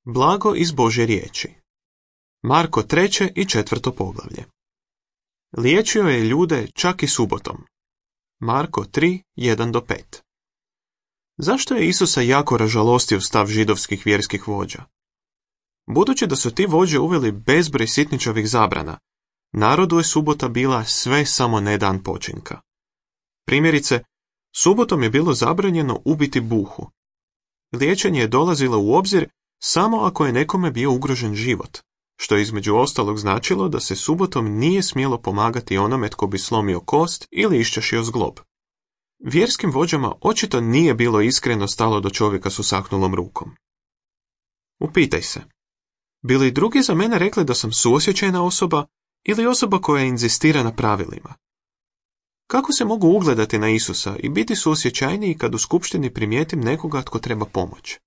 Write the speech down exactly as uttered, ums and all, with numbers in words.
Blago iz Božje riječi. Marko treće i četvrto poglavlje. Liječio je ljude čak i subotom. Marko tri, jedan do pet. Zašto je Isusa jako ražalostio stav židovskih vjerskih vođa? Budući da su ti vođe uveli bezbroj sitničavih zabrana, narodu je subota bila sve samo ne dan počinka. Primjerice, subotom je bilo zabranjeno ubiti buhu. Liječenje je dolazilo u obzir samo ako je nekome bio ugrožen život, što je između ostalog značilo da se subotom nije smjelo pomagati onome tko bi slomio kost ili iščašio zglob. Vjerskim vođama očito nije bilo iskreno stalo do čovjeka s usahnulom rukom. Upitaj se, bi li drugi za mene rekli da sam suosjećajna osoba ili osoba koja inzistira na pravilima? Kako se mogu ugledati na Isusa i biti suosjećajniji kad u skupštini primijetim nekoga tko treba pomoć?